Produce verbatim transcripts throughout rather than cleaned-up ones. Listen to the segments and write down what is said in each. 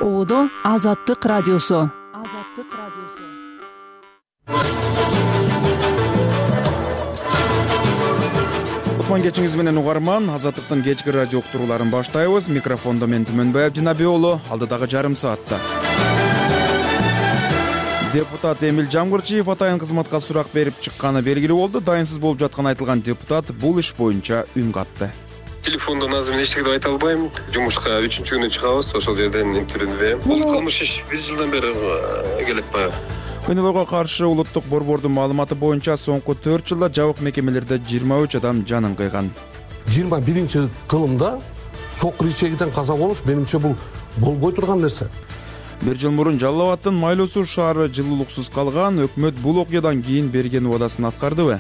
Оодо Азаттык радиосу. Азаттык радиосу. Кутман кечиңиз менен угарман. Азаттыктын кечки радио уктурууларын баштайбыз. Микрофондо мен Түмөнбай Абдинабий уулу. Алдыдагы жарым саатта депутат Эмил Жамгырчиев атайын кызматка сурак берип чыкканы белгилүү болду. Дайынсыз болуп жатканын айтылган депутат бул иш боюнча үн катты. Телефондон азыр мен эчтеке деп айта албайм. Жумушка үчүнчү күнү чыгабыз, ошол жерден интервью берем. Бул кылмыш иш бир жылдан бери келет баягы. Күнөөлөргө каршы улуттук борбордун маалыматы боюнча соңку төрт жылда жабык мекемелерде жыйырма үч адам жанын кыйган. жыйырма биринчи кылымда сокур ичегиден каза болуш менимче бул болбой турган нерсе. Бир жыл мурун Жалал Абадтын Майлуу Суу шаары жылуулуксуз калган. Өкмөт бул окуядан кийин берген убадасын аткардыбы?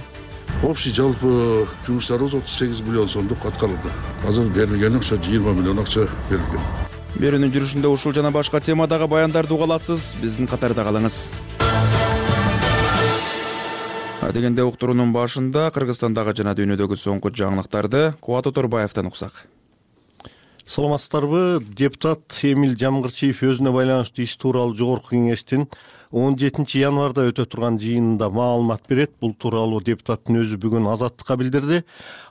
Общий жалпы жумуштарыбыз отуз сегиз миллион сомдук аткарылды. Азыр берилген акча жыйырма миллион акча берилген. Берүүнүн жүрүшүндө ушул жана башка темадагы баяндарды уга аласыз. Биздин катарда калыңыз. Дегенде уктуруунун башында Кыргызстандагы жана дүйнөдөгү соңку жаңылыктарды Кубат Оторбаевден уксак. Саламатсыздарбы? Депутат Эмил Жамгырчиев өзүнө байланыштуу иш тууралуу Жогорку кеңештин он жетинчи январда өтө турган жыйынында маалымат берет. Бул тууралуу депутаттын өзү бүгүн Азаттыкка билдирди.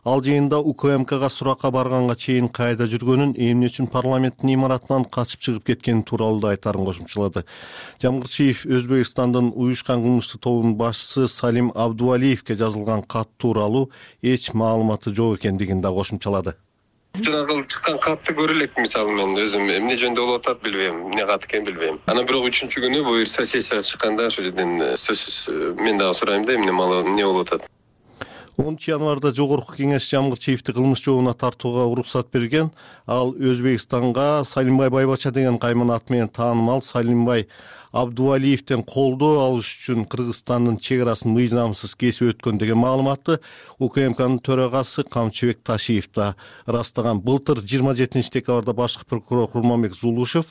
Ал жыйында УКМКга суракка барганга чейин кайда жүргөнүн, эмне үчүн парламенттин имаратынан качып чыгып кеткени тууралуу да айтарын кошумчалады. Жамгырчиев Өзбекстандын уюшкан кылмыштуу тобунун башчысы Салим Абдувалиевке жазылган кат тууралуу эч маалыматы жок экендигин да кошумчалады. Жанагы чыккан катты көрө элек, мисалы мен өзүм эмне жөнүндө болуп атат билбейм, эмне кат экенин билбейм. Анан бирок үчүнчү күнү буюрса сессияга чыкканда ошол жерден сөзсүз мен дагы сурайм да эмне эмне болуп атат. онунчу январда Жогорку кеңеш Жамгырчиевди кылмыш жообуна тартууга уруксат берген. Ал Өзбекстанга Салимбай Байбача деген кайман аты менен таанымал Салимбай Абдувалиевден колдоо алыш үчүн Кыргызстандын чек арасын мыйзамсыз кесип өткөн деген маалыматты УКМКнын төрагасы Камчыбек Ташиев да ырастаган. Былтыр жыйырма жетинчи декабрда башкы прокурор Курманбек Зулушев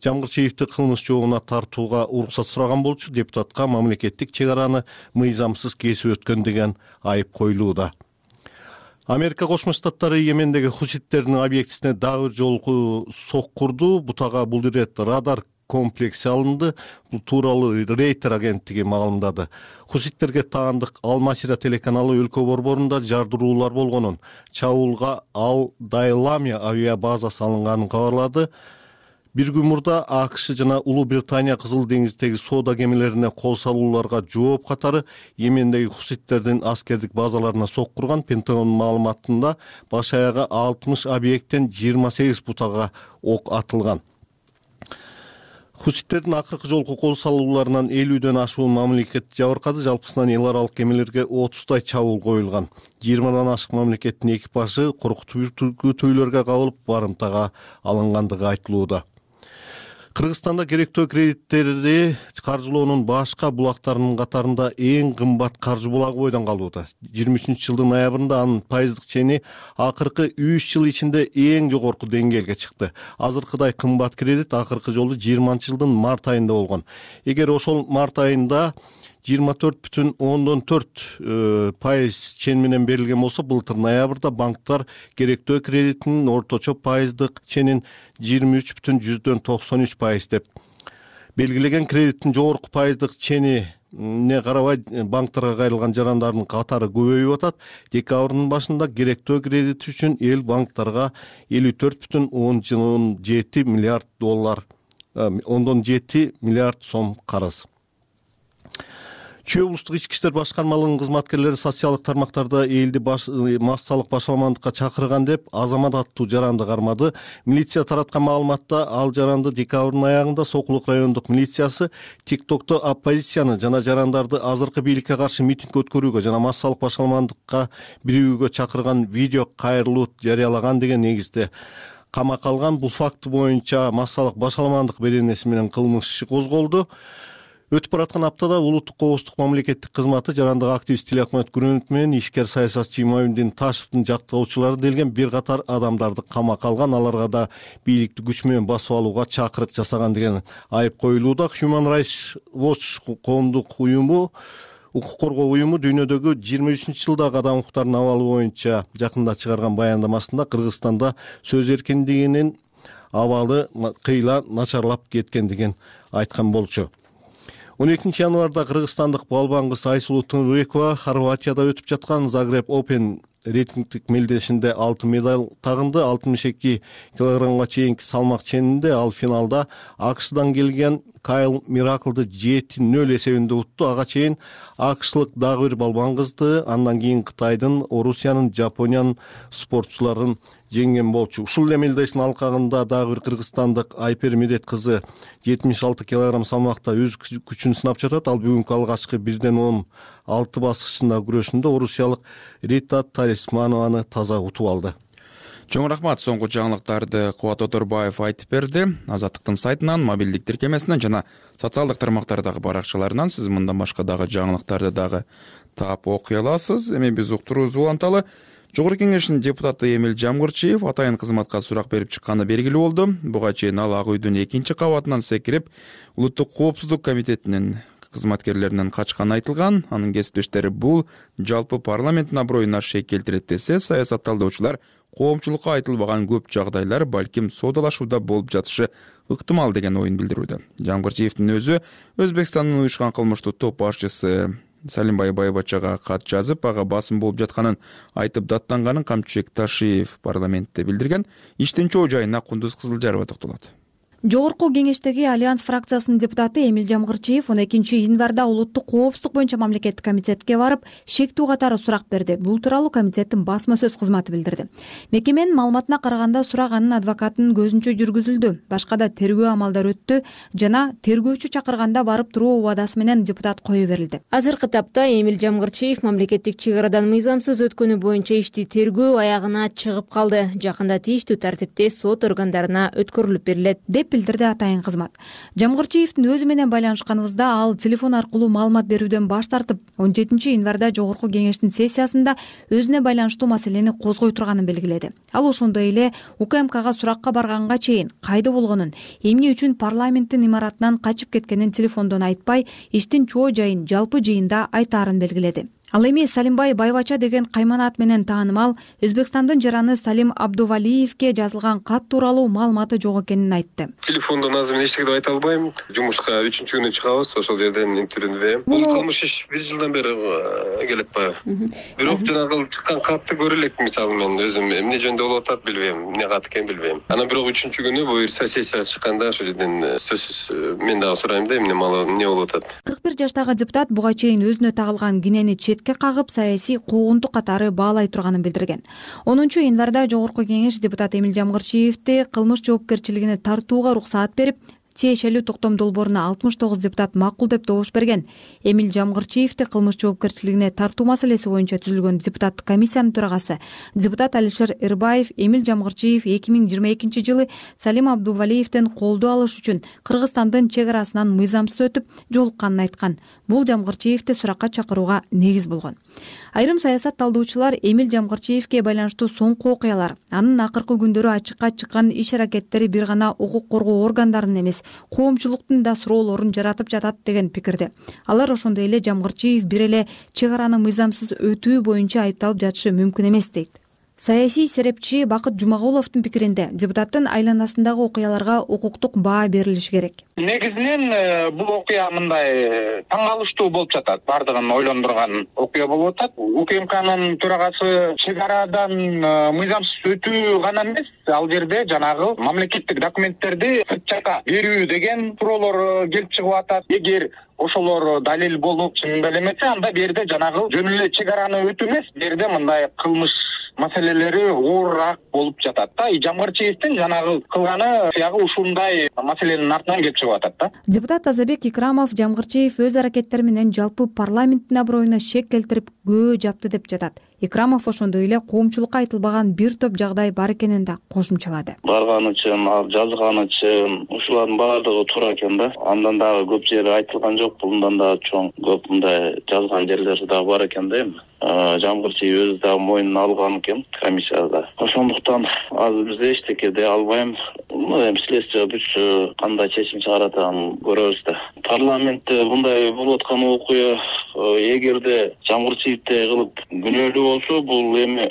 Жамгырчиевди кылмыш жообуна тартууга уруксат сураган болчу. Депутатка мамлекеттик чек араны мыйзамсыз кесип өткөн деген айып коюлууда. Америка Кошмо Штаттары Йемендеги хуситтердин объектисине дагы бир жолку сок курду. Бутага бул ирет радар комплекси алынды. Бул тууралуу Рейтер агенттиги маалымдады. Хуситтерге таандык Ал-Масира телеканалы өлкө борборунда жардыруулар болгонун, чабуулга Ал-Дайламия авиа базасы алынганын кабарлады. Бир күн мурда АКШ жана Улуу Британия Кызыл деңиздеги соода кемелерине кол салууларга жооп катары Йемендеги хуситтердин аскердик базаларына сок курган. Пентагондун маалыматында баш аягы алтымыш объекттен жыйырма сегиз бутага ок атылган. Хуситтердин акыркы жолку кол салууларынан элүүдөн ашуун мамлекет жабыркады. Жалпысынан эл аралык кемелерге отуздай чабуул коюлган. жыйырмадан ашык мамлекеттин экипажы коркутүүлөргө кабылып барымтага алынгандыгы айтылууда. Кыргызстанда керектөө кредиттерди каржылоонун башка булактарынын катарында эң кымбат каржы булагы бойдон калууда. жыйырма үчүнчү жылдын ноябрында анын пайыздык чени акыркы үч жыл ичинде эң жогорку деңгээлге чыкты. Азыркыдай кымбат кредит акыркы жолу жыйырманчы жылдын март айында болгон. Эгер ошол март айында жыйырма төрт бүтүн ондон төрт пайыз чен менен берилген болсо, былтыр ноябрда банктар керектөө кредитинин орточо пайыздык ченин жыйырма үч бүтүн жүздөн токсон үч пайыз деп белгилеген. Кредиттин жогорку пайыздык ченине карабай банктарга кайрылган жарандардын катары көбөйүп атат. Декабрдын башында керектөө кредит үчүн эл банктарга элүү төрт бүтүн ондон жети миллиард доллар ондон жети миллиард сом карыз. Чүй облустук ички иштер башкармалыгынын кызматкерлери социалдык тармактарда элди массалык башаламандыкка чакырган деп Азамат аттуу жаранды кармады. Милиция тараткан маалыматта ал жаранды декабрдын аягында Сокулук райондук милициясы ТикТокто оппозицияны жана жарандарды азыркы бийликке каршы митинг өткөрүүгө жана массалык башаламандыкка биригүүгө чакырган видео кайрылуу жарыялаган деген негизде камакка алган. Бул факты боюнча массалык башаламандык беренеси менен кылмыш иши козголду. Өтүп бараткан аптада улуттук коопсуздук мамлекеттик кызматы жарандык активист Тилакмамет Күрөнов менен ишкер саясатчы Имамиддин Ташевдин жактоочулары делген бир катар адамдарды камакка алган. Аларга да бийликти күч менен басып алууга чакырык жасаган деген айып коюлууда. Human Rights Watch коомдук уюму укук коргоо уюму дүйнөдөгү жыйырма үчүнчү жылдагы адам укуктарынын абалы боюнча жакында чыгарган баяндамасында Кыргызстанда сөз эркиндигинин абалы кыйла начарлап кеткендигин айткан болчу. он экинчи январда кыргызстандык балбан кыз Айсулуу Тыныбекова Хорватияда өтүп жаткан Загреб Open рейтингдик мелдешинде алтын медаль тагынды. алтымыш эки килограммга чейинки салмак ченинде ал финалда АКШдан келген Кайл Мираклды жети нөл эсебинде утту. Ага чейин АКШлык дагы бир балбан кызды, андан кийин Кытайдын, Орусиянын, Жапониянын спортчуларын жеңген болчу. Ушул эле мелдештин алкагында дагы бир кыргызстандык Айпер Медет кызы жетимиш алты килограмм салмакта өз күчүн сынап жатат. Ал бүгүнкү алгачкы бирден он алты баскычындагы күрөшүндө орусиялык Рита Талисманованы таза утуп алды. Чоң рахмат. Соңку жаңылыктарды Кубат Оторбаев айтып берди. Азаттыктын сайтынан, мобилдик тиркемесинен жана социалдык тармактардагы баракчаларынан сиз мындан башка дагы жаңылыктарды дагы таап окуй аласыз. Эми биз уктуруубузду уланталы. Жогорку Кеңештин депутаты Эмил Жамгырчиев атайын кызматка сурак берип чыкканы белгилүү болду. Буга чейин ал Ак үйдүн экинчи кабатынан секирип, Улуттук коопсуздук комитетинин кызматкерлеринен качканы айтылган. Анын кесиптештери бул жалпы парламенттин аброюна шек келтирет десе, саясатталдоочулар коомчулукка айтылбаган көп жагдайлар балким соодалашууда болуп жатышы ыктымал деген оюн билдирүүдө. Жамгырчиевдин өзү Өзбекстандын уюшкан кылмыштуу топ башчысы Салимбай Байбачага кат жазып, ага басым болуп жатканын айтып даттанганын Камчыбек Ташиев парламентте билдирген. Иштин чоо жайына Кундуз Кызылжарова токтолот. Жогорку Кеңештеги Альянс фракциясынын депутаты Эмил Жамгырчиев он экинчи январда улуттук коопсуздук боюнча мамлекеттик комитетке барып, шектүү катары сурак берди. Бул тууралуу комитеттин басма сөз кызматы билдирди. Мекеменин маалыматына караганда сурак анын адвокатынын көзүнчө жүргүзүлдү. Башка да тергөө амалдары өттү жана тергөөчү чакырганда барып туруу убадасы менен депутат кое берилди. Азыркы тапта Эмил Жамгырчиев мамлекеттик чек арадан мыйзамсыз өткөнү боюнча ишти тергөө аягына чыгып калды. Жакында тийиштүү тартипте сот органдарына өткөрүлүп берилет деп билдирди атайын кызмат. Жамгырчиевдин өзү менен байланышканыбызда ал телефон аркылуу маалымат берүүдөн баш тартып, он жетинчи январда Жогорку Кеңештин сессиясында өзүнө байланыштуу маселени козгой турганын белгиледи. Ал ошондой эле УКМКга суракка барганга чейин кайда болгонун, эмне үчүн парламенттин имаратынан качып кеткенин телефондон айтпай, иштин чоо жайын жалпы жыйында айтаарын белгиледи. Ал эми Салимбай Байбача деген кайманат менен таанымал Өзбекстандын жараны Салим Абдувалиевке жазылган кат тууралуу маалыматы жок экенин айтты. Телефондон азыр мен эчтеке деп айта албайм. Жумушка үчүнчү күнү чыгабыз, ошол жерден интервью берем. Бул кылмыш иш бир жылдан бери келет баягы. Бирок жанагы чыккан катты көрө элек, мисалы мен өзүм эмне жөнүндө болуп атат билбейм, эмне кат экен билбейм. Анан бирок үчүнчү күнү буюрса сессияга чыкканда ошол жерден сөзсүз мен дагы сурайм да, эмне малы эмне болуп атат. кырк бир жаштагы депутат буга чейин өзүнө тагылган кинени кагып саясий куугунтук катары баалай турганын билдирген. онунчу январда Жогорку Кеңеш депутат Эмил Жамгырчиевди кылмыш жоопкерчилигине тартууга уруксаат берип, тиешелүү токтом долборуна алтымыш тогуз депутат макул деп добуш берген. Эмил Жамгырчиевди кылмыш жоопкерчилигине тартуу маселеси боюнча түзүлгөн депутаттык комиссиянын төрагасы депутат Алишер Эрбаев Эмил Жамгырчиев эки миң жыйырма экинчи жылы Салим Абдувалиевден колдоо алыш үчүн Кыргызстандын чек арасынан мыйзамсыз өтүп жолукканын айткан. Бул Жамгырчиевди суракка чакырууга негиз болгон. Айрым саясат талдоочулар Эмил Жамгырчиевге байланыштуу соңку окуялар, анын акыркы күндөрү ачыкка чыккан иш-аракеттери бир гана укук коргоо органдарынын эмес, коомчулуктун да суроолорун жаратып жатат деген пикирде. Алар ошондой эле Жамгырчиев бир эле чек араны мыйзамсыз өтүү боюнча айыпталып жатышы мүмкүн эмес дейт. Саясий серепчи Бакыт Жумагуловдун пикиринде депутаттын айланасындагы окуяларга укуктук баа берилиши керек. Негизинен бул окуя мындай таң калыштуу болуп жатат. Бардыгын ойлондурган окуя болуп атат. УКМКнын төрагасы чек арадан мыйзамсыз өтүү гана эмес, ал жерде жанагы мамлекеттик документтерди сырт жакка берүү деген суроолор келип чыгып атат. Эгер ошолор далил болуп чындап эмесе, анда бу жерде жанагы жөн эле чек араны өтүү эмес, бу жерде мындай кылмыш маселелери оорураак болуп жатат да. Жамгырчиевдин жанагы кылганы ягы ушундай маселенин артынан келип чыгып атат да. Депутат Азабек Икрамов Жамгырчиев өз аракеттери менен жалпы парламенттин аброюна шек келтирип көө жапты деп жатат. Икрамов ошондой эле коомчулукка айтылбаган бир топ жагдай бар экенин да кошумчалады. Барганы үчүн, жазганы үчүн ушулардын баардыгы туура экен да. Андан дагы көп жери айтылган жок, булундан дагы чоң көп мындай жазган жерлери дагы бар экен да эми. Жамгырчиев өзү дагы мойнуна алган экен комиссияда. Ошондуктан азыр биз эчтеке дей албайм. Эми следствие бүтсө кандай чечим чыгарат аны көрөбүз да. Парламентте мындай болуп аткан окуя эгерде Жамгырчиевди кылып күнөөлүү болсо, бул эми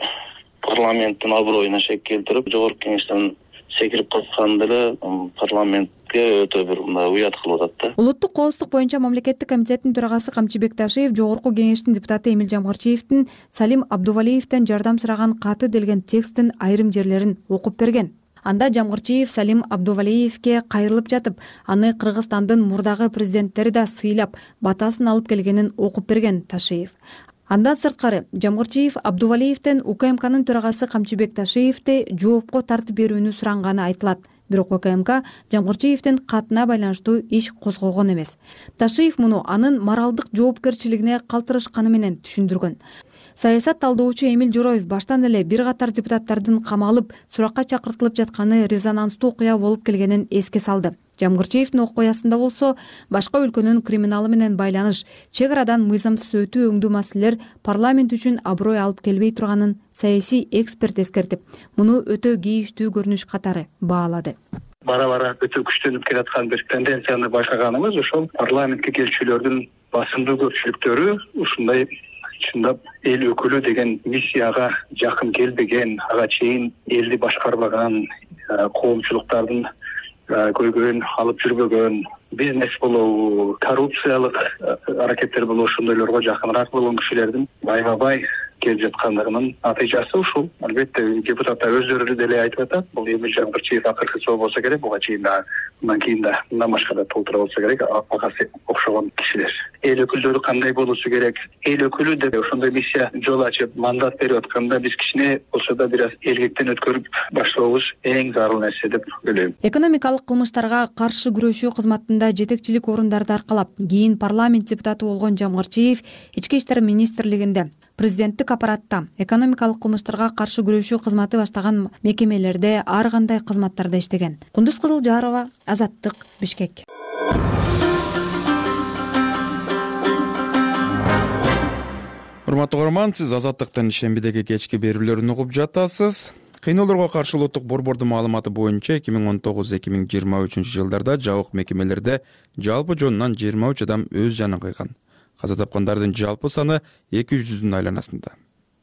парламенттин аброюна шек келтирип, Жогорку Кеңештен секирип калган деле парламентке өтө бир мындай уят кылып атат да. Улуттук коопсуздук боюнча мамлекеттик комитеттин төрагасы Камчыбек Ташиев Жогорку Кеңештин депутаты Эмил Жамгырчиевдин Салим Абдувалиевден жардам сураган каты делген текстин айрым жерлерин окуп берген. Анда Жамгырчиев Салим Абдувалиевке кайрылып жатып, аны Кыргызстандын мурдагы президенттери да сыйлап, батасын алып келгенин окуп берген Ташиев. Андан сырткары Жамгырчиев Абдувалиевден УКМКнын төрагасы Камчыбек Ташиевди жоопко тартып берүүнү суранганы айтылат. Бирок УКМК Жамгырчиевдин катына байланыштуу иш козгогон эмес. Ташиев муну анын моралдык жоопкерчилигине калтырышканы менен түшүндүргөн. Саясат талдоочу Эмил Жороев баштан эле бир катар депутаттардын камалып, суракка чакыртылып жатканы резонанстуу окуя болуп келгенин эске салды. Жамгырчиевдин окуясында болсо, башка өлкөнүн криминалы менен байланыш, чек арадан мыйзамсыз өтүү өңдүү маселелер парламент үчүн аброй алып келбей турганын саясий эксперт эскертип, муну өтө кейиштүү көрүнүш катары баалады. Бара-бара өтө күчтөнүп келаткан бир тенденцияны байкаганыбыз ошол парламентке келчүлөрдүн басымдуу көпчүлүктөрү ушундай чындап эл өкүлү деген миссияга жакын келбеген, ага чейин элди башкарбаган, коомчулуктардын көйгөйүн алып жүрбөгөн, бизнес болобу, коррупциялык аракеттер болобу ошондойлорго жакыныраак болгон кишилердин байма-бай келип жаткандыгынын натыйжасы ушул. Албетте депутаттар өздөрү деле айтып атат, бул Эмил Жамгырчиев акыркысы болбосо керек, буга чейин да, мындан кийин да мындан башка да толтура болсо керек, агасы окшогон кишилер. Эл өкүлдөрү кандай болушу керек? Эл өкүлү деп ошондой миссия жол ачып, мандат берип атканда биз кичине болсо да бир аз эркектен өткөрүп баштообуз эң зарыл нерсе деп ойлойм. Экономикалык кылмыштарга каршы күрөшүү кызматында жетекчилик орундарды аркалап, кийин парламент депутаты болгон Жамгырчиев Ички иштер министрлигинде, президенттик аппаратта, экономикалык кылмыштарга каршы күрөшүү кызматы баштаган мекемелерде ар кандай кызматтарда иштеген. Кундуз Кызылжарова, Азаттык, Бишкек. Урматтуу көрөрман, сиз Азаттыктын шембидеги кечки берүүлөрүн угуп жатасыз. Кыйноолорго каршы улуттук борбордун маалыматы боюнча эки миң он тогуз эки миң жыйырма үчүнчү жылдарда жабык мекемелерде жалпы жонунан жыйырма үч адам өз жанын кыйган. Каза тапкандардын жалпы саны эки жүздүн айланасында.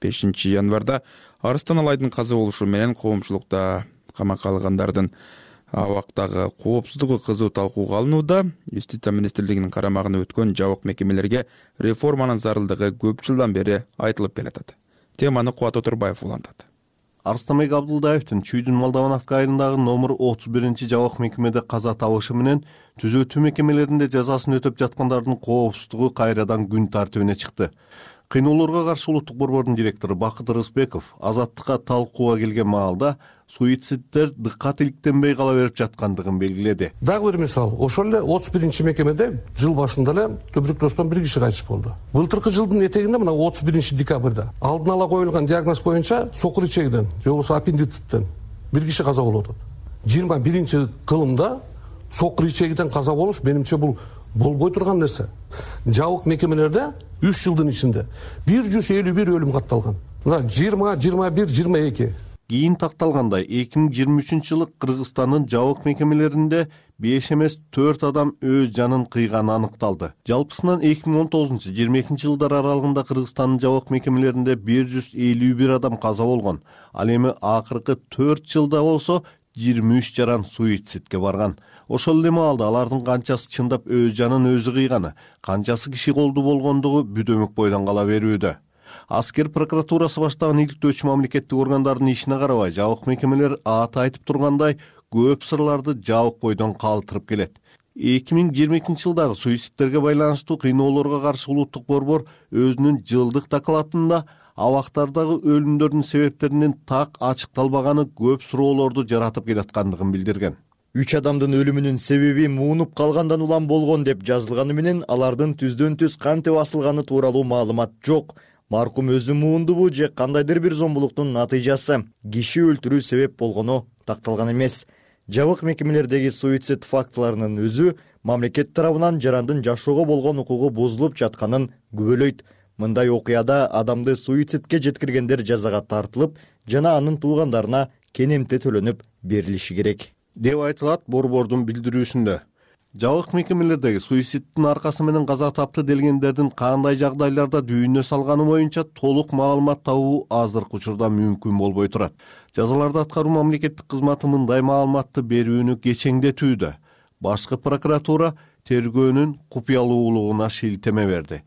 бешинчи январда Арыстан Алайдын каза болушу менен коомчулукта камакка алгандардын абактагы коопсуздугу кызуу талкууга алынууда. Юстиция министрлигинин карамагына өткөн жабык мекемелерге реформанын зарылдыгы көп жылдан бери айтылып келатат. Теманы Кубат Отурбаев улантат. Арыстанбек Абдулдаевдин Чүйдүн Молдовановка айылындагы номер отуз биринчи жабык мекемеде каза табышы менен түзөтүү мекемелеринде жазасын өтөп жаткандардын коопсуздугу кайрадан күн тартибине чыкты. Кыйноолорго каршы улуттук борбордун директору Бакыт Рысбеков Азаттыкка талкууга келген маалда суициддер дыккат иликтенбей кала берип жаткандыгын белгиледи. Дагы бир мисал, ошол эле отуз биринчи мекемеде жыл башында эле туберкулездон бир киши кайтыш болду. Былтыркы жылдын этегинде мына отуз биринчи декабрда алдын ала коюлган диагноз боюнча сокур ичегиден же болбосо аппендициттен бир киши каза болуп атат. жыйырма биринчи кылымда сокур ичегиден каза болуш менимче бул болбой турган нерсе. Жабык мекемелерде үч жылдын ичинде бир жүз элүү бир өлүм катталган. Мына жыйырма, жыйырма бир, жыйырма эки. Кийин такталгандай эки миң жыйырма үчүнчү жылы Кыргызстандын жабык мекемелеринде беш эмес төрт адам өз жанын кыйганы аныкталды. Жалпысынан эки миң он тогузунчу жыйырма экинчи жылдар аралыгында Кыргызстандын жабык мекемелеринде бир жүз элүү бир адам каза болгон. Ал эми акыркы төрт жылда болсо жыйырма үч жаран суицидке барган. Ошол эле маалда алардын канчасы чындап өз жанын өзү кыйганы, канчасы киши колдуу болгондугу бүдөмүк бойдон кала берүүдө. Аскер прокуратурасы баштаган иликтөөчү мамлекеттик органдардын ишине карабай, жабык мекемелер аты айтып тургандай көп сырларды жабык бойдон калтырып келет. эки миң жыйырма экинчи жылдагы суицидтерге байланыштуу кыйноолорго каршы улуттук борбор өзүнүн жылдык докладында абактардагы өлүмдөрдүн себептеринин так ачыкталбаганы көп суроолорду жаратып келаткандыгын билдирген. Үч адамдын өлүмүнүн себеби муунуп калгандан улам болгон деп жазылганы менен алардын түздөн түз кантип асылганы тууралуу маалымат жок. Маркум өзү муундубу же кандайдыр бир зомбулуктун натыйжасы киши өлтүрүү себеп болгону такталган эмес. Жабык мекемелердеги суицид фактыларынын өзү мамлекет тарабынан жарандын жашоого болгон укугу бузулуп жатканын күбөлөйт. Мындай окуяда адамды суицидке жеткиргендер жазага тартылып, жана анын туугандарына кенемте төлөнүп берилиши керек деп айтылат борбордун билдирүүсүндө. Жабык мекемелердеги суицидтин аркасы менен каза тапты делгендердин кандай жагдайларда дүйнө салганы боюнча толук маалымат табуу азыркы учурда мүмкүн болбой турат. Жазаларды аткаруу мамлекеттик кызматы мындай маалыматты берүүнү кечеңдетүүдө. Башкы прокуратура тергөөнүн купуялуулугуна шилтеме берди.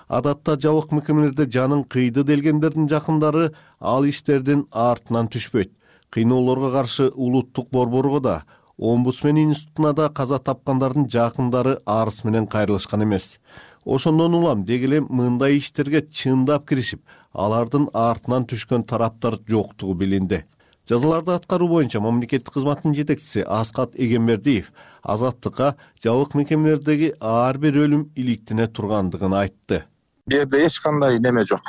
Адатта жабык мекемелерде жанын кыйды делгендердин жакындары ал иштердин артынан түшпөйт. Кыйноолорго каршы улуттук борборго да, Омбудсмен институтуна да каза тапкандардын жакындары арыз менен кайрылышкан эмес. Ошондон улам деги эле мындай иштерге чындап киришип, алардын артынан түшкөн тараптар жоктугу билинди. Жазаларды аткаруу боюнча мамлекеттик кызматтын жетекчиси Аскат Эгембердиев Азаттыкка жабык мекемелердеги ар бир өлүм иликтене тургандыгын айтты. Бу жерде эч кандай неме жок.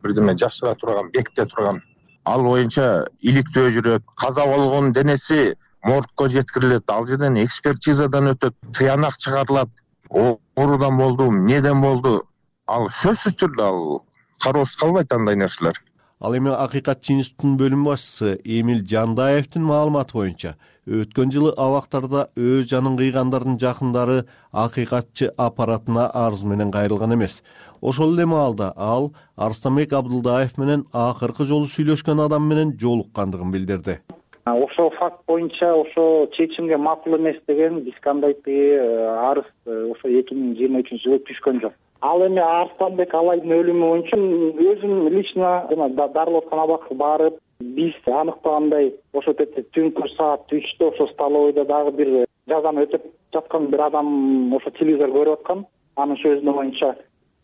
Бирдеме жашыра турган, беките турган. Ал боюнча иликтөө жүрөт. Каза болгон денеси моргко жеткирилет, ал жерден экспертизадан өтөт, сыянак чыгарылат. Оорудан болду, эмнеден болду? Ал сөзсүз түрдө ал кароосуз калбайт андай нерселер. Ал эми Акыйкатчы институтунун бөлүм башчысы Эмил Жандаевдин маалыматы боюнча, өткөн жылы абактарда өз жанын кыйгандардын жакындары Акыйкатчы аппаратына арыз менен кайрылган эмес. Ошол эле маалда ал Арстанбек Абдылдаев менен акыркы жолу сүйлөшкөн адам менен жолуккандыгын билдирди. Ошол факт боюнча ошо чечимге макул эмес деген биз кандайдыр арыз ошо эки миң жыйырма үчүнчү жылы түшкөн жок. Ал эми Арстанбек Алайдын өлүмү боюнча өзүм лично жана дарылап аткан абакка барып, биз аныктагандай ошо жерде түнкү саат үчтө ошо столовойдо дагы бир жазаны өтөп жаткан бир адам ошо телевизор көрүп аткан. Анын сөзүнө боюнча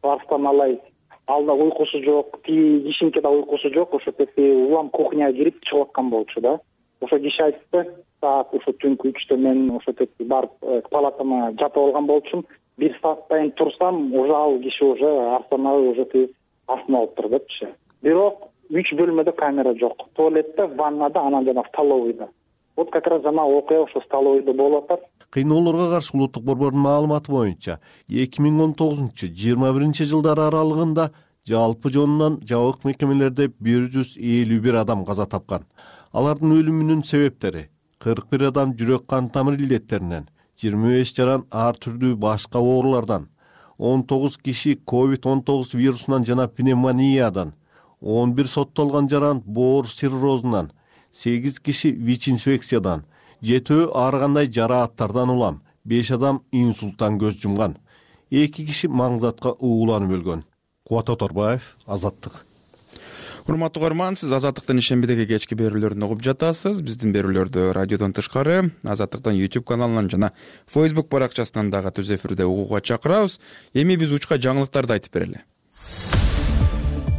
Арстан Алай алда уйкусу жок, тиги кишинке да уйкусу жок, ошо жерде улам кухняга кирип чыгып аткан болчу да. Ошо киши айтты, саат ошо түнкү үчтө мен ошо жерде барып палатама жатып алган болчумун. Бир сааттайын турсам, уже ал киши уже Арстанабай уже астына алыптыр депчи. Бирок үч бөлмөдө камера жок. Туалетте, ваннада, анан жана столовойдо. Вот как раз жана окуя ошо столовойдо болуп атат. Кыйноолорго каршы улуттук борбордун маалыматы боюнча, эки миң он тогузунчу — жыйырма биринчи жылдар аралыгында жалпы жонунан жабык мекемелерде бир жүз элүү бир адам каза тапкан. Алардын өлүмүнүн себептери кырк бир адам жүрөк кан тамыр илдеттеринен, жыйырма беш жаран ар түрдүү башка оорулардан, он тогуз киши ковид он тогуз вирусунан жана пневмониядан, он бир соттолгон жаран боор циррозунан, сегиз киши ВИЧ-инфекциядан, жетөө ар кандай жарааттардан улам, беш адам инсульттан көз жумган, эки киши маңзатка ууланып өлгөн. Кубат Оторбаев, Азаттык. Урматтуу көрөрман, сиз Азаттыктын ишембидеги кечки берүүлөрүн угуп жатасыз. Биздин берүүлөрдү радиодон тышкары, Азаттыктын YouTube каналынан жана Facebook баракчасынан дагы түз эфирде угууга чакырабыз. Эми биз учка жаңылыктарды айтып берели.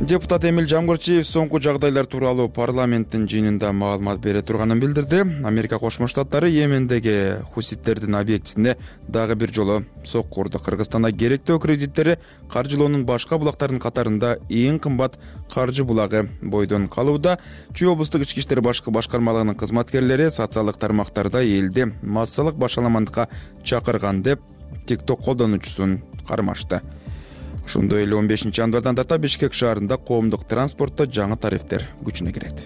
Депутат Эмил Жамгырчиев соңку жагдайлар тууралуу парламенттин жыйынында маалымат бере турганын билдирди. Америка Кошмо Штаттары Йемендеги хуситтердин объектисине дагы бир жолу сокку урду. Кыргызстанда керектөө кредиттери каржылоонун башка булактарынын катарында эң кымбат каржы булагы бойдон калууда. Чүй облустук ички иштер башкы башкармалыгынын кызматкерлери социалдык тармактарда элди массалык башаламандыкка чакырган деп TikTok колдонуучусун кармашты. Ошондой эле он бешинчи январдан тарта Бишкек шаарында коомдук транспортто жаңы тарифтер күчүнө кирет.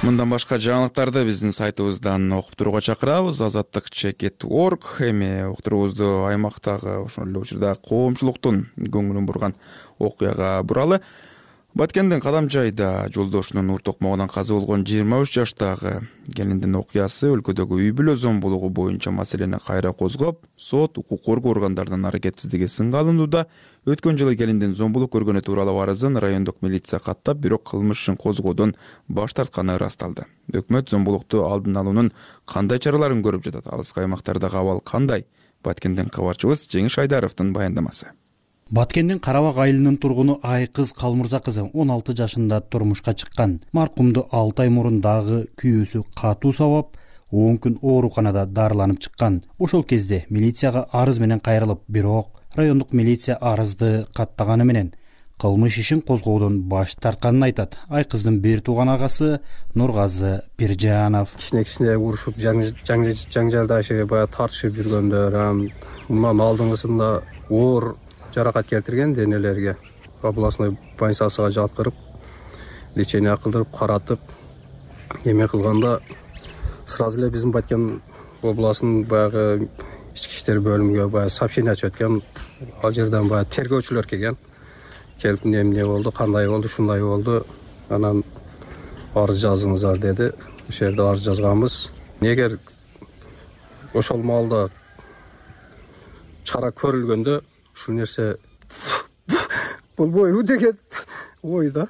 Мындан башка жаңылыктарды биздин сайтыбыздан окуп турууга чакырабыз. азаттык чекит точка орг. Эми уктуруубузду аймактагы ошол эле учурда коомчулуктун көңүлүн бурган окуяга буралы. Баткендин Кадамжайда жолдошунун ур токмогунан каза болгон жыйырма үч жаштагы келиндин окуясы өлкөдөгү үй бүлө зомбулугу боюнча маселени кайра козгоп, сот укук коргоо органдарынын аракетсиздиги сынга алынууда. Өткөн жылы келиндин зомбулук көргөнү тууралуу арызын райондук милиция каттап, бирок кылмыш ишин козгоодон баш тартканы ырасталды. Өкмөт зомбулукту алдын алуунун кандай чараларын көрүп жатат? Алыскы аймактардагы абал кандай? Баткендин кабарчыбыз Жеңиш Айдаровдун баяндамасы. Баткендин Карабак айылынын тургуну Айкыз Калмырза кызы он алты жашында турмушка чыккан. Маркумду алты ай мурун дагы күйөөсү катуу сабап, он күн ооруканада дарыланып чыккан. Ошол кезде милицияга арыз менен кайрылып, бирок райондук милиция арызды каттаганы менен кылмыш ишин козгоодон баш тартканын айтат. Айкыздын бир тууган агасы Нургазы Пиржанов. Кичине-кичине урушуп, жаңжалдашып, баягы тартышып жүргөндөр, мындан алдыңгысында оор жаракат келтирген денелерге областной больницасына жаткырып, лечение кылдырып, каратып, эме кылганда сразу эле биздин Баткен областын баягы ички иштер бөлүмүгө баягы сообщение түшөт экен. Ал жерден баягы тергөөчүлөр келген. Келип эмне эмне болду, кандай болду, шундай болду. Анан арыз жазыңыздар деди. Ошол жерде арыз жазганбыз. Эгер ошол маалда чара көрүлгөндө ушул нерсе болбойбу деген ой да.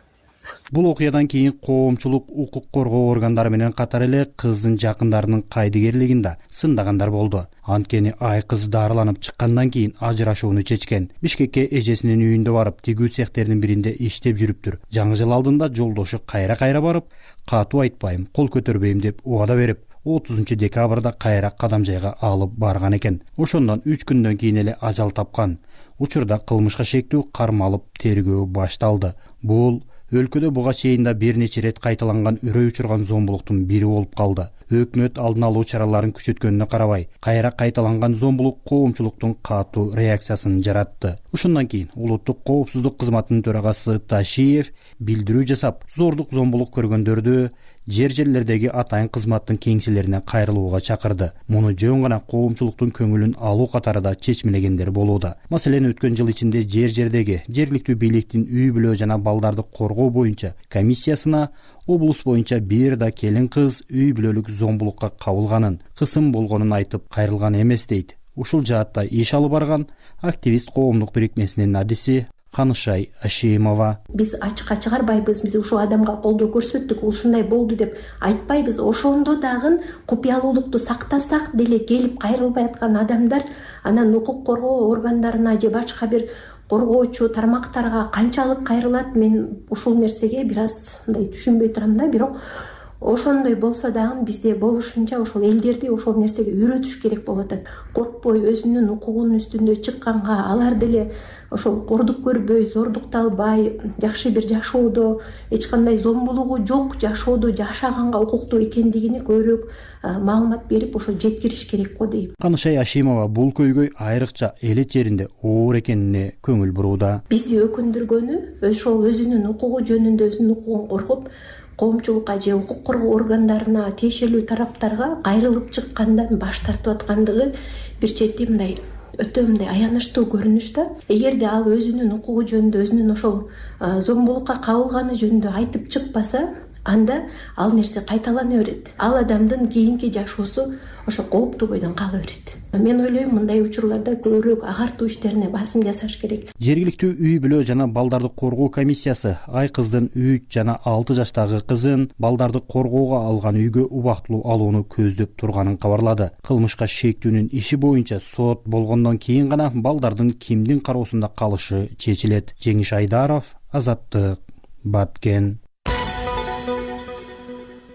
Бул окуядан кийин коомчулук укук коргоо органдары менен катар эле кыздын жакындарынын кайдыгерлигин да сындагандар болду. Анткени айкыз дарыланып чыккандан кийин ажырашууну чечкен. Бишкекке эжесинин үйүндө барып, тигүү цехтердин биринде иштеп жүрүптүр. Жаңы жыл алдында жолдошу кайра-кайра барып, катуу айтпайм, кол көтөрбөйм деп убада берип, отузунчу декабрда кайра кадам жайга алып барган экен. Ошондон үч күндөн кийин эле ажал тапкан. Учурда кылмышка шектүү кармалып тергөө башталды. Бул өлкөдө буга чейин да бир нече ирет кайталанган үрөй учурган зомбулуктун бири болуп калды. Өкмөт алдын алуу чараларын күчөткөнүнө карабай, кайра кайталанган зомбулук коомчулуктун катуу реакциясын жаратты. Ошондон кийин улуттук коопсуздук кызматынын төрагасы Ташиев билдирүү жасап, зордук зомбулук көргөндөрдү жер жерлердеги атайын кызматтын кеңселерине кайрылууга чакырды. Муну жөн гана коомчулуктун көңүлүн алуу катары да чечмелегендер болууда. Маселен, өткөн жыл ичинде жер жердеги жергиликтүү бийликтин үй бүлө жана балдарды коргоо боюнча комиссиясына облус боюнча бир да келин кыз үй бүлөлүк зомбулукка кабылганын, кысым болгонун айтып кайрылган эмес дейт. Ушул жаатта иш алып барган активист коомдук бирикмесинин адиси Канышай Ашимова. Биз ачыкка чыгарбайбыз, биз ушул адамга колдоо көрсөттүк, ул ушундай болду деп айтпайбыз. Ошондо дагы купуялуулукту сактасак деле келип кайрылбай аткан адамдар анан укук коргоо органдарына же башка бир коргоочу тармактарга канчалык кайрылат, мен ушул нерсеге бир аз мындай түшүнбөй турам да. Бирок ошондой болсо дагы бизде болушунча ошол элдерди ошол нерсеге үйрөтүш керек болуп атат. Коркпой өзүнүн укугунун үстүндө чыкканга, алар деле ошол кордук көрбөй, зордукталбай, жакшы бир жашоодо, эч кандай зомбулугу жок жашоодо жашаганга укуктуу экендигини көбүрөөк маалымат берип, ошо жеткириш керек го дейм. Канышай Ашимова бул көйгөй айрыкча элет жеринде оор экенине көңүл бурууда. Бизди өкүндүргөнү ошол өзүнүн укугу жөнүндө өзүнүн укугун коргоп, коомчулукка же укук коргоо органдарына, тиешелүү тараптарга кайрылып чыккандан баш тартып аткандыгы бир чети мындай өтө мындай аянычтуу көрүнүш да. Эгерде ал өзүнүн укугу жөнүндө, өзүнүн ошол зомбулукка кабылганы жөнүндө айтып чыкпаса, анда ал нерсе кайталана берет. Ал адамдын кийинки жашоосу ошо кооптуу бойдон кала берет. Мен ойлойм, мындай учурларда көбүрөөк агартуу иштерине басым жасаш керек. Жергиликтүү үй бүлө жана балдарды коргоо комиссиясы айкыздын үч жана алты жаштагы кызын балдарды коргоого алган үйгө убактылуу алууну көздөп турганын кабарлады. Кылмышка шектүүнүн иши боюнча сот болгондон кийин гана балдардын кимдин кароосунда калышы чечилет. Жеңиш Айдаров, Азаттык, Баткен.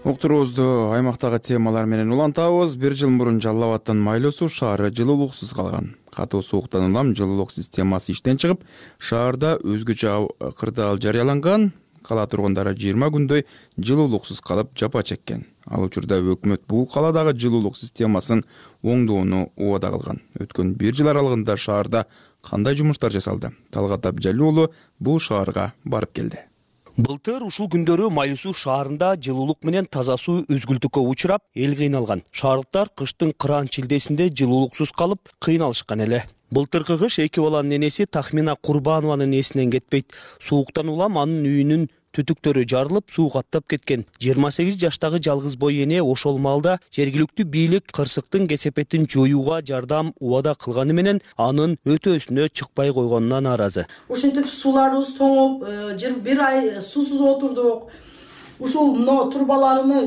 Уктуруубузду аймактагы темалар менен улантабыз. Бир жыл мурун Жалал Абадтын Майлуу Суу шаары жылуулуксуз калган. Катуу сууктан улам жылуулук системасы иштен чыгып, шаарда өзгөчө кырдаал жарыяланган. Кала тургундары жыйырма күндөй жылуулуксуз калып жапа чеккен. Ал учурда өкмөт бул каладагы жылуулук системасын оңдоону убада кылган. Өткөн бир жыл аралыгында шаарда кандай жумуштар жасалды? Талгат Абдижалил уулу бул шаарга барып келди. Былтыр ушул күндөрү Майлуу Суу шаарында жылуулук менен таза суу өзгүлтүккө учурап, эл кыйналган. Шаардыктар кыштын кыраан чилдесинде жылуулуксуз калып, кыйналышкан эле. Былтыркы кыш эки баланын энеси Тахмина Курбанованын эсинен кетпейт. Сууктан улам анын үйүнүн түтүктөрү жарылып, суу каптап кеткен. жыйырма сегиз жаштагы жалгыз бой эне ошол маалда жергиликтүү бийлик кырсыктын кесепетин жоюуга жардам убада кылганы менен анын өтөөсүнө чыкпай койгонуна нааразы. Ушинтип сууларыбыз тоңуп, бир ай суусуз отурдук. Ушул мына турбаларымы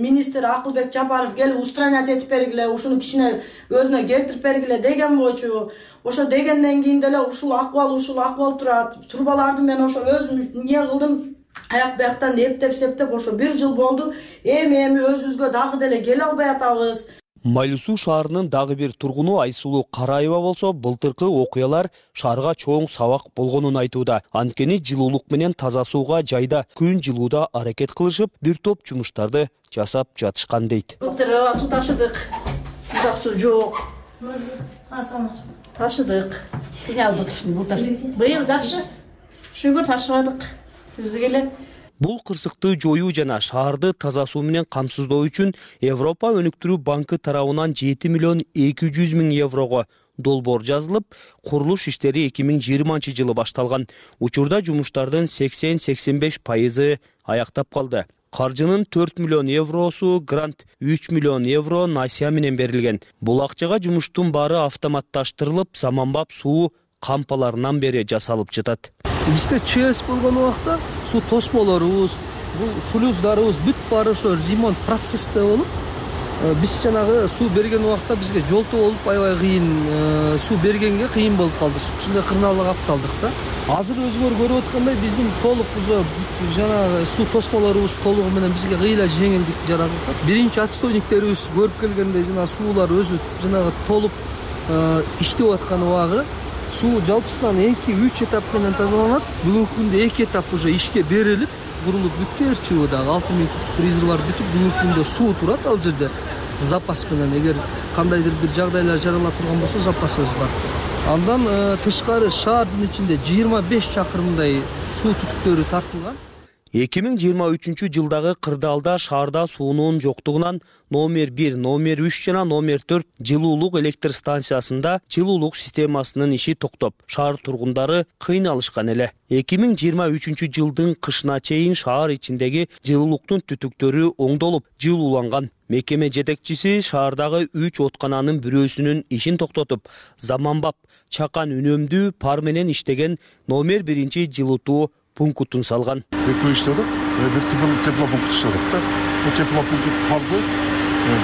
министр Акылбек Жапаров келип устранять этип бергиле, ушуну кичине өзүнө келтирип бергиле деген болчу. Ошо дегенден кийин деле ушул акыбал ушул акыбал турат. Турбаларды мен ошо өзүм эмне кылдым, аяк бияктан эптеп септеп ошо бир жыл болду. Эми эми өзүбүзгө дагы деле келе албай атабыз. Майлуу Суу шаарынын дагы бир тургуну Айсулуу Караева болсо, былтыркы окуялар шаарга чоң сабак болгонун айтууда. Анткени жылуулук менен таза сууга жайда күн жылууда аракет кылышып, бир топ жумуштарды жасап жатышкан дейт. Былтыр суу ташыдык, узак суу жок. Ташыдык, кыйналдык былтыр. Быйыл жакшы, шүгүр ташыбадык. Өзү эле Бул кырсыкты жоюу жана шаарды таза суу менен камсыздоо үчүн Европа өнүктүрүү банкы тарабынан жети миллион эки жүз миң еврого долбоор жазылып, курулуш иштери эки миң жыйырманчы жылы башталган. Учурда жумуштардын сексен сексен беш пайызы аяктап калды. Каржынын төрт миллион евросу грант, үч миллион евро насия менен берилген. Бул акчага жумуштун баары автоматташтырылып, заманбап суу кампаларынан бери жасалып жатат. Бизде ЧС болгон убакта суу тосмолорубуз, бул флюздарыбыз бүт баары ошо ремонт процессте болуп, биз жанагы суу берген убакта бизге жолтоо болуп аябай кыйын, суу бергенге кыйын болуп калды. Ушундай кырнаалга калып калдык да. Азыр өзүңөр көрүп аткандай биздин толук уже жанагы суу тосмолорубуз толугу менен бизге кыйла жеңилдик жаратып. Биринчи отстойниктерибиз көрүп келгендей жана суулар өзү жанагы толуп иштеп аткан убагы суу жалпысынан эки үч этап менен тазаланат. Бүгүнкү күндө эки этап уже ишке берилип, курулуп бүттү. Эрчиби дагы алты миң резервуар бүтүп, бүгүнкү күндө суу турат ал жерде запас менен. Эгер кандайдыр бир жагдайлар жарала турган болсо запасыбыз бар. Андан тышкары шаардын ичинде жыйырма беш чакырымдай суу түтүктөрү тартылган. эки миң жыйырма үчүнчү жылдагы кырдаалда шаарда суунун жоктугунан номер бир, номер үч жана номер төрт жылуулук электр станциясында жылуулук системасынын иши токтоп, шаар тургундары кыйналышкан эле. эки миң жыйырма үчүнчү жылдын кышына чейин шаар ичиндеги жылуулуктун түтүктөрү оңдолуп, жылууланган. Мекеме жетекчиси шаардагы үч откананын бирөөсүнүн ишин токтотуп, заманбап, чакан үнөмдүү пар менен иштеген номер биринчи жылытуу пунктун салган. Экөө иштедик, бир теплопункт иштедик да. Бул теплопункт парды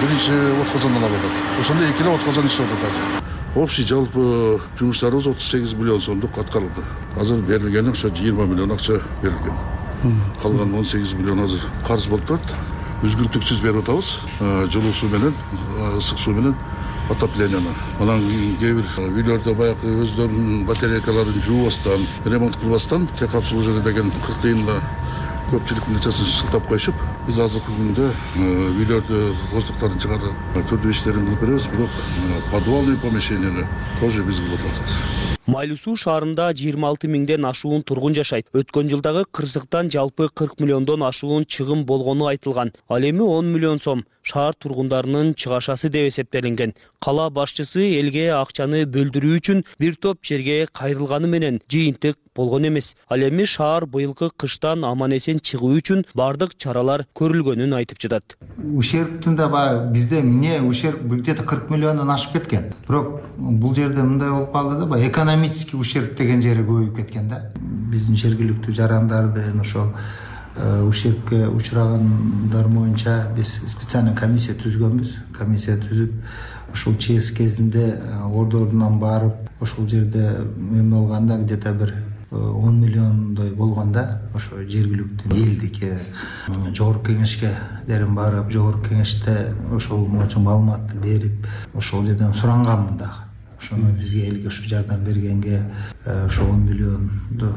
биринчи отказандан алып атат. Ошондо эки эле отказан иштеп атат. Общий жалпы жумуштарыбыз отуз сегиз миллион сомдук аткарылды. Азыр берилгени ошо жыйырма миллион акча берилген. Калган он сегиз миллион азыр карыз болуп турат. Үзгүлтүксүз берип атабыз. Жылуу суу менен, ысык суу менен отопленияны. Анан кээ бир үйлөрдө баягы өздөрүнүн батарейкаларын жуубастан, ремонт кылбастан тек обслуживание деген кырк тыйынга көпчүлүк нечесин шылтап коюшуп, биз азыркы күндө үйлөрдө воздуктарын чыгарып, түрдүү иштерин кылып беребиз, бирок подвальный помещенияны тоже биз кылып атабыз. Майлуу суу шаарында жыйырма алты миңден ашуун тургун жашайт. Өткөн жылдагы кырсыктан жалпы кырк миллиондон ашуун чыгым болгону айтылган. Ал эми он миллион сом шаар тургундарынын чыгашасы деп эсептелинген. Кала башчысы элге акчаны бөлдүрүү үчүн бир топ жерге кайрылганы менен жыйынтык болгон эмес. Ал эми шаар быйылкы кыштан аман-эсен чыгуу үчүн бардык чаралар көрүлгөнүн айтып жатат. Ущербтин да баягы бизде эмне ущерб где-то кырк миллиондон ашып кеткен. Бирок бул жерде мындай болуп калды да, баягы экономический ущерб деген жери көбөйүп кеткен да. Биздин жергиликтүү жарандардын ошол ущербке учурагандар боюнча биз специальный комиссия түзгөнбүз. Комиссия түзүп, ошол ЧС кезинде ордорунан барып, ошол жерде эмне болганда где-то бир он миллиондой болгонда ошо жергиликтүү элдикке жогорку кеңешке дерин барып, жогорку кеңеште ошол боюнча маалыматты берип, ошол жерден суранганмын дагы. Ошону бизге элге ушу жардам бергенге, ошо он миллионду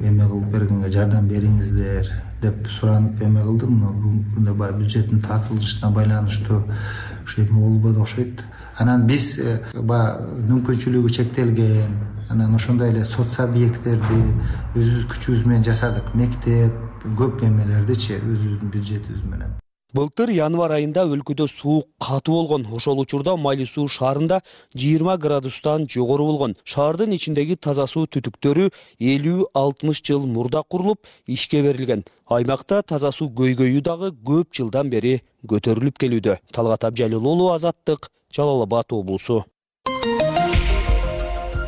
эме кылып бергенге жардам бериңиздер деп суранып эме кылдым. Бүгүнкү күндө баягы бюджеттин тартылышына байланыштуу ушу эме болбоду окшойт. Анан биз баягы мүмкүнчүлүгү чектелген, анан ошондой эле соц объекттерди өзүбүз күчүбүз менен жасадык. Мектеп, көп эмелердичи өзүбүздүн бюджетибиз менен. Былтыр январь айында өлкөдө суук катуу болгон. Ошол учурда Майлуу суу шаарында жыйырма градустан жогору болгон. Шаардын ичиндеги таза суу түтүктөрү элүү алтымыш жыл мурда курулуп, ишке берилген. Аймакта таза суу көйгөйү дагы көп жылдан бери көтөрүлүп келүүдө. Талгат Абжалил уулу, Азаттык, Жалал Абад облусу.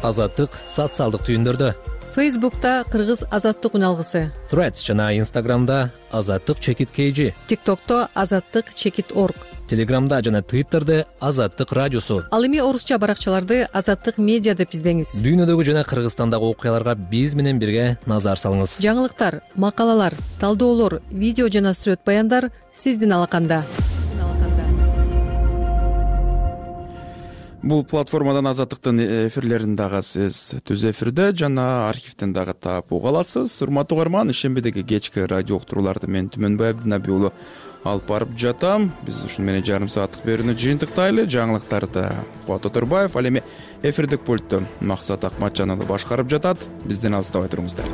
Азаттык социалдык түйүндөрдө. Фейсбукта Кыргыз Азаттык үналгысы, Threads жана Инстаграмда Азаттык чекит kg, ТикТокто Азаттык чекит орг, Телеграмда жана Твиттерде Азаттык радиосу. Ал эми орусча баракчаларды Азаттык медиа деп издеңиз. Дүйнөдөгү жана Кыргызстандагы окуяларга биз менен бирге назар салыңыз. Жаңылыктар, макалалар, талдоолор, видео жана сүрөт баяндар сиздин алаканда. Бул платформадан Азаттыктын эфирлерин дагы сиз түз эфирде жана архивден дагы таап уга аласыз. Урматтуу угарман, ишембидеги кечки радио уктурууларды мен Түмөнбай Абдынаби уулу алып барып жатам. Биз ушуну менен жарым сааттык берүүнү жыйынтыктайлы. Жаңылыктарды Кубат Оторбаев, ал эми эфирдик пультту Максат Акматжан уулу башкарып жатат. Бизден алыстабай туруңуздар.